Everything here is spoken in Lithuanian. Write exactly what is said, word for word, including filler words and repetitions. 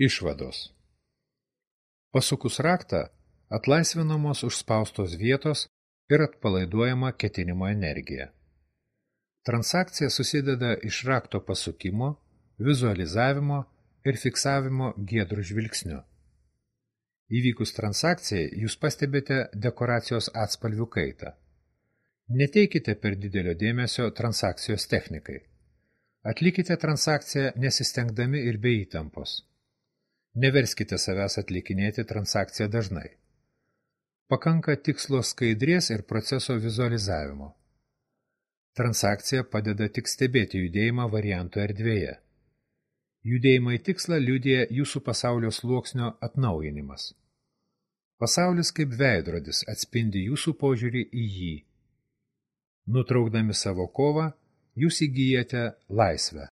Išvados. Pasukus raktą, atlaisvinamos užspaustos vietos ir atpalaiduojama ketinimo energija. Transakcija susideda iš rakto pasukimo, vizualizavimo ir fiksavimo giedrų žvilgsniu. Įvykus transakcijai, jūs pastebite dekoracijos atspalvių kaitą. Neteikite per didelio dėmesio transakcijos technikai. Atlikite transakciją nesistengdami ir be įtampos. Neverskite savęs atlikinėti transakciją dažnai. Pakanka tikslo skaidrės ir proceso vizualizavimo. Transakcija padeda tik stebėti judėjimą variantų erdvėje. Judėjimą į tikslą liudija jūsų pasaulio sluoksnio atnaujinimas. Pasaulis kaip veidrodis atspindi jūsų požiūrį į jį. Nutraukdami savo kovą, jūs įgyjate laisvę.